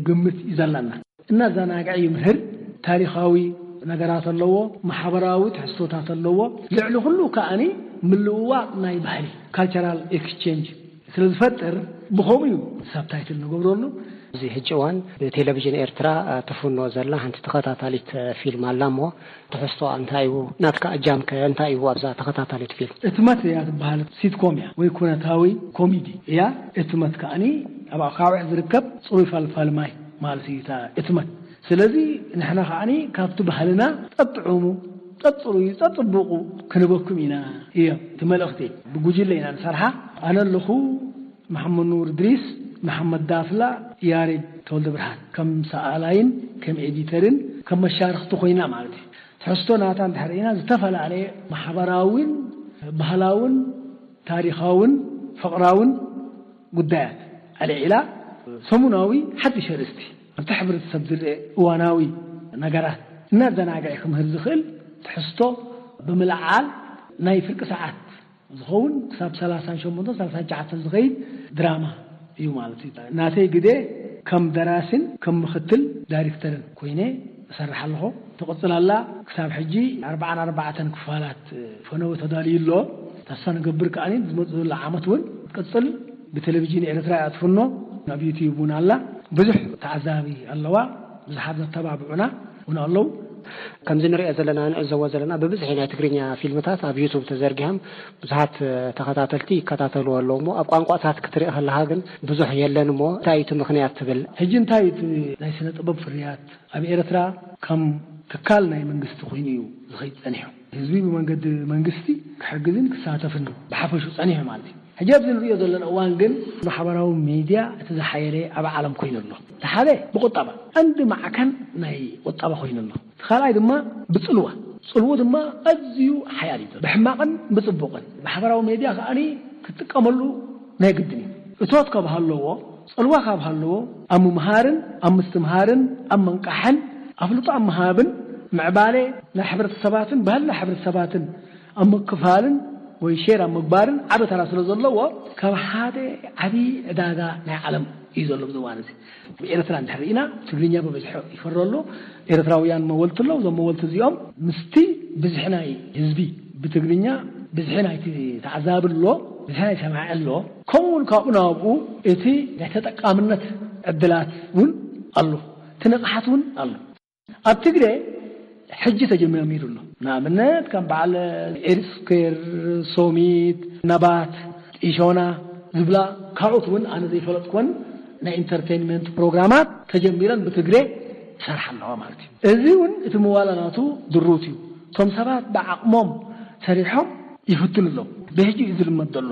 ግምት እዩ ዘለና። እናዘናግዐ ይምህር። ታሪኻዊ ነገራት ኣለዎ፣ ማሕበራዊ ትሕዝቶታት ኣለዎ። ልዕሊ ኩሉ ከኣኒ ምልውዋጥ ናይ ባህሊ ካልቸራል ኤክስቼንጅ ስለ ዝፈጥር ብኸምኡ እዩ ሳብታይትል ንገብረሉ። እዚ ሕጂ እዋን ብቴሌቪዥን ኤርትራ ትፍኖ ዘላ ሓንቲ ተኸታታሊት ፊልም ኣላ እሞ ትሕዝቶኣ እንታይ እዩ? ናትካ እጃምከ እንታይ እዩ ኣብዛ ተኸታታሊት ፊልም? እትመት እያ ትበሃል። ሲትኮም እያ ወይ ኩነታዊ ኮሚዲ እያ። እትመት ከኣኒ ኣብ ኣኻውሕ ዝርከብ ጽሩይ ፈልፋሊ ማይ ማለት እዩ እታ እትመት። ስለዚ ንሕና ከኣኒ ካብቲ ባህልና ጠጥዑሙ፣ ጠጥሩዩ፣ ጠጥብቑ ክንበኩም ኢና እዮ እቲ መልእኽቲ። ብጉጅለ ኢና ንሰርሓ። ኣነ ኣለኹ፣ መሓመድ ኑር እድሪስ፣ መሓመድ ዳፍላ፣ ያሬድ ተወልደ ብርሃን ከም ሰኣላይን ከም ኤዲተርን ከም መሻርኽቲ ኮይና ማለት እዩ። ትሕዝቶ ናታ እንድሕር ኢና ዝተፈላለየ ማሕበራውን ባህላውን ታሪኻውን ፍቕራውን ጉዳያት ኣልዒላ ሰሙናዊ ሓድሽ ኣርእስቲ ኣብቲ ሕብረተሰብ ዝርአ እዋናዊ ነገራት እናዘናግዐ ክምህር ዝኽእል ትሕዝቶ ብምልዓል ናይ ፍርቂ ሰዓት ዝኸውን ክሳብ ሰላሳን ሸሞንተን ሰላሳን ትሽዓተን ዝኸይድ ድራማ እዩ ማለት እዩ። ናተይ ግደ ከም ደራሲን ከም ምኽትል ዳይሬክተርን ኮይነ እሰርሕ ኣለኹ። ትቕጽል ኣላ። ክሳብ ሕጂ ኣርባዓን ኣርባዕተን ክፋላት ፈነወ ተዳልዩ ኣሎ። ተስፋ ንገብር ከኣ ዝመጽእ ዘሎ ዓመት እውን ክትቅጽል ብቴሌቪዥን ኤርትራ እያ ትፍኖ። ኣብ ዩትዩብ እውን ኣላ። ብዙሕ ተዓዛቢ ኣለዋ። ብዙሓት ዘተባብዑና እውን ኣለዉ። ከምዚ ንሪኦ ዘለና ንዕዘቦ ዘለና ብብዝሒ ናይ ትግርኛ ፊልምታት ኣብ ዩቱብ ተዘርጊሖም ብዙሓት ተኸታተልቲ ይከታተልዎ ኣለዉ እሞ ኣብ ቋንቋታት ክትርኢ ከለኻ ግን ብዙሕ የለን እሞ እንታይ እዩ እቲ ምኽንያት ትብል? ሕጂ እንታይ እቲ ናይ ስነ ጥበብ ፍርያት ኣብ ኤርትራ ከም ትካል ናይ መንግስቲ ኮይኑ እዩ ዝኸይድ ጸኒሑ። ህዝቢ ብመንገዲ መንግስቲ ክሕግዝን ክሳተፍን ብሓፈሹ ጸኒሑ ማለት እዩ። ሕጂ ኣብዚ ንሪኦ ዘለና እዋን ግን ማሕበራዊ ሚድያ እቲ ዝሓየለ ኣብ ዓለም ኮይኑ ኣሎ። እቲ ሓደ ብቁጠባ ቀንዲ ማዕከን ናይ ቁጠባ ኮይኑ ኣሎ። እቲ ካልኣይ ድማ ብጽልዋ፣ ጽልዎ ድማ ኣዝዩ ሓያል እዩ። ብሕማቕን ብጽቡቕን ማሕበራዊ ሚድያ ከኣ ክትጥቀመሉ ናይ ግድን እዩ። እቶት ካብ ሃለዎ፣ ጽልዋ ካብ ሃለዎ ኣብ ምምሃርን ኣብ ምስትምሃርን ኣብ መንቃሕን ኣፍልጦ ኣብ ምሃብን ምዕባለ ናይ ሕብረተሰባትን ባህልና ሕብረተሰባትን ኣብ ምክፋልን ወይ ሼር ኣብ ምግባርን ዓቢ ተራ ስለ ዘለዎ ካብ ሓደ ዓቢ ዕዳጋ ናይ ዓለም እዩ ዘሎ ኣብዚ እዋን እዚ። ኣብ ኤርትራ እንድሕር ርኢና ትግርኛ ብብዝሒ ይፈሪ ኣሎ። ኤርትራውያን መወልቲ ኣለዉ። እዞም መወልቲ እዚኦም ምስቲ ብዝሒ ናይ ህዝቢ ብትግርኛ ብዝሒ ናይቲ ተዓዛቢ ኣሎ፣ ብዝሒ ናይ ሰማዒ ኣሎ። ከምኡ እውን ካብኡ ናብኡ እቲ ናይ ተጠቃምነት ዕድላት እውን ኣሎ፣ እቲ ንቕሓት እውን ኣሎ። ኣብ ትግረ ሕጂ ተጀሚሩ ኣሎ። ንኣብነት ከም በዓል ኤሪ ስኩዌር፣ ሶሚት፣ ነባት፣ ጢሾና ዝብላ ካልኦት እውን ኣነ ዘይፈለጥኩወን ናይ ኢንተርቴይንመንት ፕሮግራማት ተጀሚረን ብትግረ ይሰርሓ ኣለዋ ማለት እዩ። እዚ እውን እቲ ምዋላ ናቱ ድሩት እዩ። እቶም ሰባት ብዓቕሞም ሰሪሖም ይፍትኑ ኣለዉ። ብሕጂ እዩ ዝልመድ ዘሎ።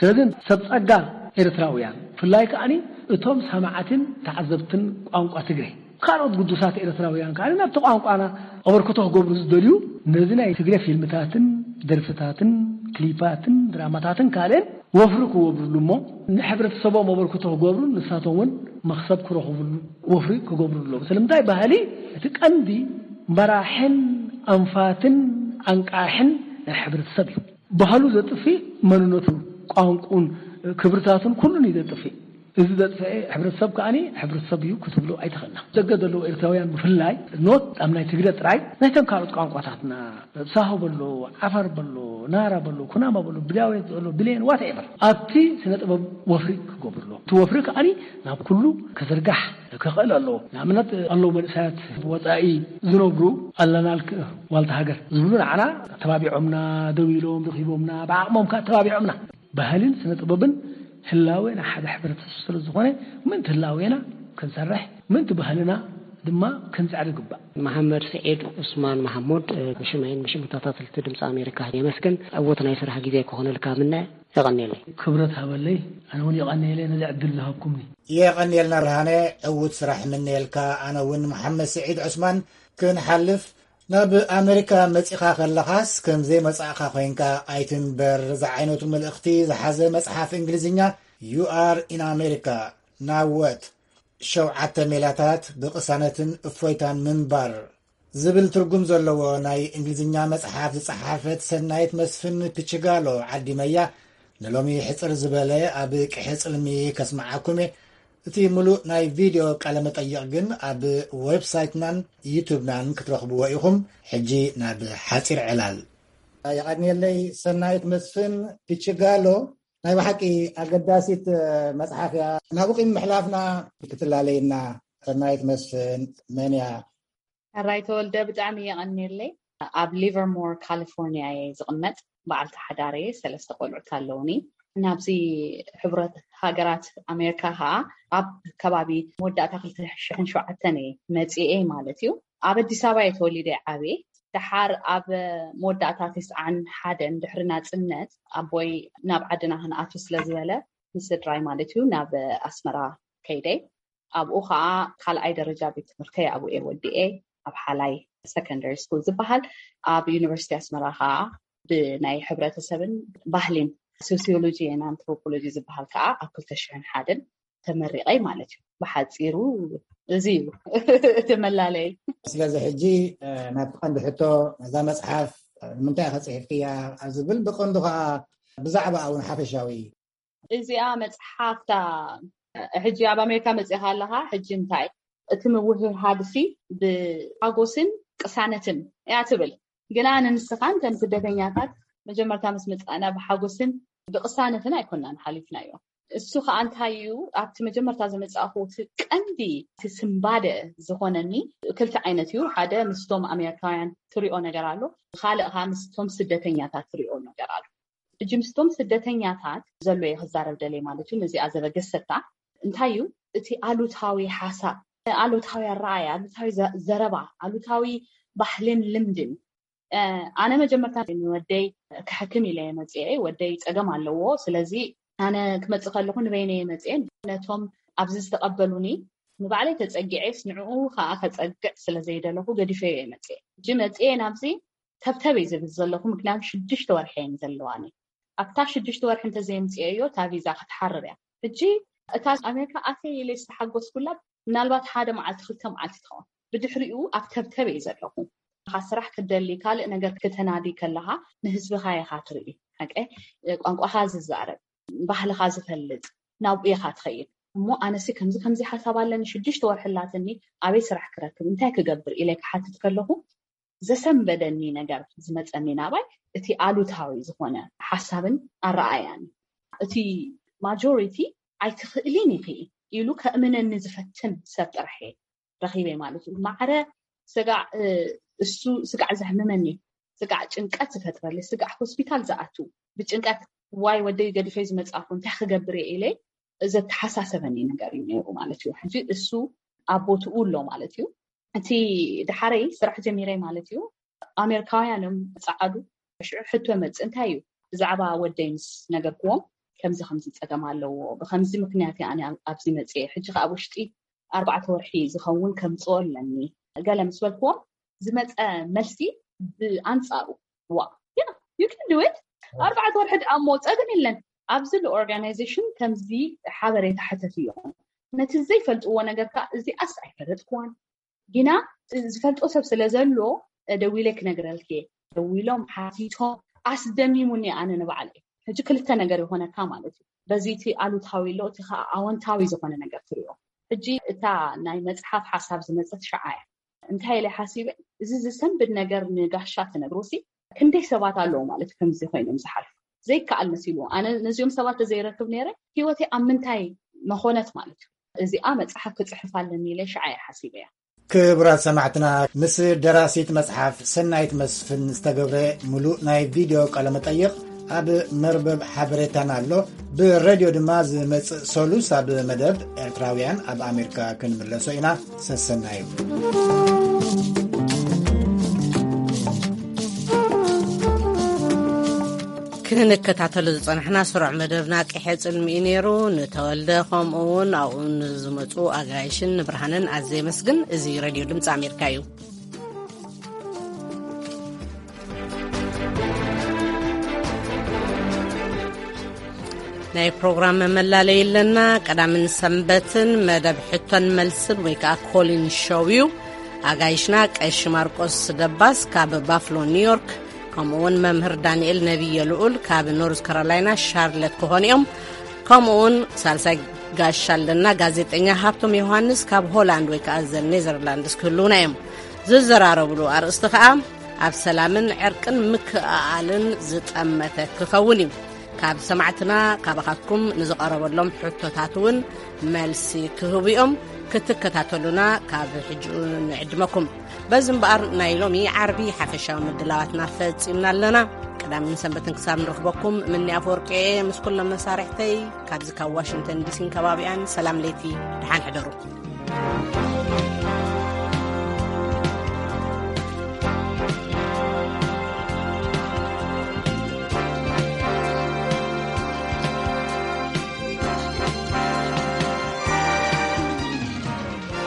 ስለዚ ሰብ ጸጋ ኤርትራውያን ብፍላይ ከኣ እቶም ሰማዕትን ተዓዘብትን ቋንቋ ትግረ ካልኦት ግዱሳት ኤርትራውያን ከኣ ናብቲ ቋንቋና ኣበርክቶ ክገብሩ ዝደልዩ ነዚ ናይ ትግረ ፊልምታትን ደርፍታትን ክሊፓትን ድራማታትን ካልእን ወፍሪ ክገብሩሉ እሞ ንሕብረተሰቦም ኣበርክቶ ክገብሩን ንሳቶም እውን መኽሰብ ክረኽቡሉ ወፍሪ ክገብሩ ኣለዎም። ስለምንታይ ባህሊ እቲ ቀንዲ መራሕን ኣንፋትን ኣንቃሕን ናይ ሕብረተሰብ እዩ። ባህሉ ዘጥፍእ መንነቱ፣ ቋንቁን ክብርታቱን ኩሉን እዩ ዘጥፍእ። እዚ ዘጥፍአ ሕብረተሰብ ከኣ ሕብረተሰብ እዩ ክትብሎ ኣይትኽእልና። ደገ ዘለዉ ኤርትራውያን ብፍላይ ኖት ኣብ ናይ ትግረ ጥራይ ናይተን ካልኦት ቋንቋታትና ሳሆ በሎ፣ ዓፋር በሎ፣ ናራ በሎ፣ ኩናማ በሎ፣ ብዳዌት በሎ፣ ብሌን ዋትኤቨር ኣብቲ ስነ ጥበብ ወፍሪ ክገብሩ ኣለዎም። እቲ ወፍሪ ከኣ ናብ ኩሉ ክዝርጋሕ ክኽእል ኣለዎ። ንኣብነት ኣለዉ መንእሰያት ወጻኢ ዝነብሩ ኣለናልክ ዋልታ ሃገር ዝብሉ ንዓና ኣተባቢዖምና፣ ደው ኢሎም ረኺቦምና፣ ብዓቕሞም ከኣ ኣተባቢዖምና። ባህልን ስነ ጥበብን ህላዌ ናይ ሓደ ሕብረተሰብ ስለ ዝኾነ ምእንቲ ህላዌና ክንሰርሕ ምእንቲ ባህልና ድማ ክንጽዕር ይግባእ። መሓመድ ስዒድ ዑስማን ማሕሙድ፣ ብሽመይን ብሽም ተኸታተልቲ ድምፂ ኣሜሪካ የመስግን። ዕዉት ናይ ስራሕ ግዜ ክኾነልካ ምነ። የቐንየለይ። ክብረት ሃበለይ። ኣነ እውን የቐንየለይ ነዚ ዕድል ዝሃብኩምኒ። የቐንየልና ብርሃነ። ዕዉት ስራሕ ምነየልካ። ኣነ እውን መሓመድ ስዒድ ዑስማን ክንሓልፍ ናብ ኣሜሪካ መጺኻ ከለኻስ ከም ዘይመጻእኻ ኮይንካ ኣይትንበር ዝዓይነቱ መልእኽቲ ዝሓዘ መጽሓፍ እንግሊዝኛ You Are in America፣ ናወት ሸውዓተ ሜላታት ብቕሳነትን እፎይታን ምንባር ዝብል ትርጉም ዘለዎ ናይ እንግሊዝኛ መጽሓፍ ዝጸሓፈት ሰናይት መስፍን ፒችጋሎ ዓዲመያ ንሎሚ ሕጽር ዝበለ ኣብ ቅሒ ጽልሚ ከስምዓኩም እየ። እቲ ምሉእ ናይ ቪድዮ ቃለ መጠይቕ ግን ኣብ ዌብሳይትናን ዩቱብናን ክትረኽብዎ ኢኹም። ሕጂ ናብ ሓጺር ዕላል። የቐንየለይ ሰናይት መስፍን ፒችጋሎ። ናይ ብሓቂ ኣገዳሲት መጽሓፍ እያ። ናብኡ ቂም ምሕላፍና ክትላለየና። ሰናይት መስፍን መን እያ? ሕራይ ተወልደ፣ ብጣዕሚ የቐንየለይ። ኣብ ሊቨርሞር ካሊፎርኒያ እየ ዝቕመጥ። በዓልቲ ሓዳር እየ፣ ሰለስተ ቆልዑት ኣለውኒ። ናብዚ ሕቡራት ሃገራት ኣሜሪካ ከዓ ኣብ ከባቢ መወዳእታ ክልተ ሽሕን ሸውዓተን እየ መፂኤ ማለት እዩ። ኣብ ኣዲስ ኣበባ እየ ተወሊደ ዓብየ። ደሓር ኣብ መወዳእታ ተስዓን ሓደን ድሕሪ ናፅነት ኣቦይ ናብ ዓድና ክንኣቱ ስለ ዝበለ ምስ ስድራይ ማለት እዩ ናብ ኣስመራ ከይደ። ኣብኡ ከዓ ካልኣይ ደረጃ ቤት ትምህርተይ ኣብኡ እየ ወዲኤ። ኣብ ሓላይ ሰከንደሪ ስኩል ዝበሃል ኣብ ዩኒቨርሲቲ ኣስመራ ከዓ ብናይ ሕብረተሰብን ባህሊን ሶሲዮሎጂ ን ኣንትሮፖሎጂ ዝበሃል ከዓ ኣብ ክልተ ሽሕን ሓደን ተመሪቐይ ማለት እዩ። ብሓፂሩ እዚ እዩ እቲ መላለይ። ስለዚ ሕጂ ናብቲ ቀንዲ ሕቶ፣ እዛ መፅሓፍ ንምንታይ ኢኻ ፅሒፍክያ ኣብ ዝብል፣ ብቐንዱ ከዓ ብዛዕባ እውን ሓፈሻዊ እዩ። እዚኣ መፅሓፍታ ሕጂ ኣብ ኣሜሪካ መፂኻ ኣለኻ። ሕጂ እንታይ እቲ ምውህሃድሲ ብሓጎስን ቅሳነትን እያ ትብል። ግና ንንስኻን ከም ስደተኛታት መጀመርታ ምስ መፃእና ብሓጎስን ብቅሳነትን ኣይኮናን ሓሊፍናዮ። እሱ ከዓ እንታይ እዩ፣ ኣብቲ መጀመርታ ዝመፃእኹ እቲ ቀንዲ እቲ ስምባደ ዝኾነኒ ክልተ ዓይነት እዩ። ሓደ ምስቶም ኣሜሪካውያን ትሪኦ ነገር ኣሎ፣ ካልእ ከዓ ምስቶም ስደተኛታት ትሪኦ ነገር ኣሎ። ሕጂ ምስቶም ስደተኛታት ዘሎ እየ ክዛረብ ደልየ ማለት እዩ። ነዚኣ ዘበገሰታ እንታይ እዩ፣ እቲ ኣሉታዊ ሓሳብ፣ ኣሉታዊ ኣረኣያ፣ ኣሉታዊ ዘ- ዘረባ፣ ኣሉታዊ ባህልን ልምድን። ኣነ መጀመርታ ንወደይ ክሕክም ኢለ እየ መፅኤ። ወደይ ፀገም ኣለዎ። ስለዚ ኣነ ክመፅእ ከለኹ ንበይነ እየ መፅኤ። ነቶም ኣብዚ ዝተቐበሉኒ ንባዕለይ ተፀጊዐስ ንዕኡ ከዓ ከፀግዕ ስለዘይደለኹ ገዲፈዮ እየ መፅኤ። ሕጂ መፅኤ ናብዚ ተብተብ እየ ዝብል ዘለኹ። ምክንያቱ ሽዱሽተ ወርሒ እየን ዘለዋኒ። ኣብታ ሽዱሽተ ወርሒ እንተዘየምፅኤዮ እታ ቪዛ ክትሓርር እያ። ሕጂ እታ ኣሜሪካ ኣትየ ኢለ ዝተሓጎስኩላ ምናልባት ሓደ መዓልቲ ክልተ መዓልቲ ትኸውን። ብድሕሪኡ ኣብ ተብተብ እየ ዘለኹ። ስራሕ ክትደሊ፣ ካልእ ነገር ክተናዲ ከለኻ ንህዝብኻ ኢኻ ትርኢ። ሓቀ ቋንቋኻ ዝዛረብ፣ ባህልኻ ዝፈልጥ፣ ናብኡ ኢኻ ትኸይድ። እሞ ኣነሲ ከምዚ ከምዚ ሓሳብ ኣለኒ፣ ሽዱሽተ ወርሒ ኣላትኒ፣ ኣበይ ስራሕ ክረክብ፣ እንታይ ክገብር ኢለ ክሓትት ከለኹ ዘሰንበደኒ ነገር ዝመፀኒ ናባይ እቲ ኣሉታዊ ዝኾነ ሓሳብን ኣረኣያን። እቲ ማጆሪቲ ኣይትኽእልን ኢኺ ኢሉ ከእምነኒ ዝፈትን ሰብ ጥራሕ እየ ረኺበ ማለት እዩ። ማዕረ ስጋዕ እሱ ስጋዕ ዘሕምመኒ፣ ስጋዕ ጭንቀት ዝፈጥረለይ፣ ስጋዕ ሆስፒታል ዝኣቱ፣ ብጭንቀት ዋይ ወደይ ገዲፈ ዝመፅኣኹ እንታይ ክገብር እየ ኢለ ዘተሓሳሰበኒ ነገር እዩ ነይሩ ማለት እዩ። ሕጂ እሱ ኣብ ቦትኡ ኣሎ ማለት እዩ። እቲ ድሓረይ ስራሕ ጀሚረ ማለት እዩ። ኣሜሪካውያን እዮም ፃዓዱ። ሽዑ ሕቶ መፅእ እንታይ እዩ፣ ብዛዕባ ወደይ ምስ ነገርክዎም ከምዚ ከምዚ ፀገም ኣለዎ፣ ብከምዚ ምክንያት እየ ኣነ ኣብዚ መፅየ፣ ሕጂ ከዓ ኣብ ውሽጢ ኣርባዕተ ወርሒ ዝኸውን ከምፅኦ ኣለኒ ገለ ምስ በልክዎም ዝመፀ መልሲ ብኣንፃሩ ዋ you can do it፣ ኣርባዕተ ወርሒ ደኣ እሞ ፀገም የለን። ኣብዚ ኦርጋናይዜሽን ከምዚ ሓበሬታ ሕተት እዮም። ነቲ ዘይፈልጥዎ ነገር ከዓ እዚኣስ ኣይፈለጥክዋን፣ ግና ዝፈልጦ ሰብ ስለ ዘሎ ደዊለ ክነግረልክ እየ። ደዊሎም ሓቲቶም ኣስደሚሙኒ ኣነ ንባዕለይ። ሕጂ ክልተ ነገር ይኾነካ ማለት እዩ። በዚ እቲ ኣሉታዊ ኣሎ፣ እቲ ከዓ ኣወንታዊ ዝኾነ ነገር ትሪኦ። ሕጂ እታ ናይ መፅሓፍ ሓሳብ ዝመፀት ሸዓ እያ። እንታይ ኢለ ሓሲበ፣ እዚ ዝሰንብድ ነገር ንጋሻ ትነግሮ ሲ ክንደይ ሰባት ኣለዉ ማለት እዩ ከምዚ ኮይኖም ዝሓልፉ። ዘይከኣል መሲልዎ ኣነ ነዚኦም ሰባት ተዘይረክብ ነይረ፣ ህይወተይ ኣብ ምንታይ መኾነት ማለት እዩ። እዚኣ መፅሓፍ ክፅሕፍ ኣለኒ ኢለ ሸዓ እየ ሓሲበያ። ክቡራት ሰማዕትና፣ ምስ ደራሲት መጽሓፍ ሰናይት መስፍን ዝተገብረ ምሉእ ናይ ቪድዮ ቃለ መጠይቕ ኣብ መርበብ ሓበሬታና ኣሎ። ብሬድዮ ድማ ዝመጽእ ሰሉስ ኣብ መደብ ኤርትራውያን ኣብ ኣሜሪካ ክንምለሶ ኢና። ሰሰናዩ። ክንከታተሎ ዝጸናሕና ስሩዕ መደብና ቂሐ ጽልሚ እዩ ነይሩ። ንተወልደ፣ ከምኡ እውን ኣብኡ ንዝመጹ ኣጋይሽን ንብርሃንን ኣዝየ የመስግን። እዚ ሬድዮ ድምጺ ኣሜሪካ እዩ። ናይ ፕሮግራም መመላለይ ኣለና። ቀዳምን ሰንበትን መደብ ሕቶን መልስን ወይ ከዓ ኮሊን ሾው እዩ። ኣጋይሽና ቀሺ ማርቆስ ደባስ ካብ ባፍሎ ኒውዮርክ፣ ከምኡ እውን መምህር ዳንኤል ነቢየ ልኡል ካብ ኖርዝ ካሮላይና ሻርለት ክኾኑ እዮም። ከምኡ እውን ሳልሳይ ጋሻ ኣለና፣ ጋዜጠኛ ሃብቶም ዮሃንስ ካብ ሆላንድ ወይ ከዓ ዘ ኔዘርላንድስ ክህልውና እዮም። ዝዘራረብሉ ኣርእስቲ ከዓ ኣብ ሰላምን ዕርቅን ምክእኣልን ዝጠመተ ክኸውን እዩ። ካብ ሰማዕትና ካባኻትኩም ንዝቐረበሎም ሕቶታት እውን መልሲ ክህቡ እዮም። ክትከታተሉና ካብ ሕጂ ንዕድመኩም። በዚ እምበኣር ናይ ሎሚ ዓርቢ ሓፈሻዊ ምድላዋትና ፈጺምና ኣለና። ቀዳምን ሰንበትን ክሳብ ንረኽበኩም ምኒ ኣፈወርቂ እየ ምስ ኩሎም መሳርሕተይ ካብዚ ካብ ዋሽንግተን ዲሲን ከባቢኣን ሰላም ለይቲ፣ ደሓን ሕደሩ።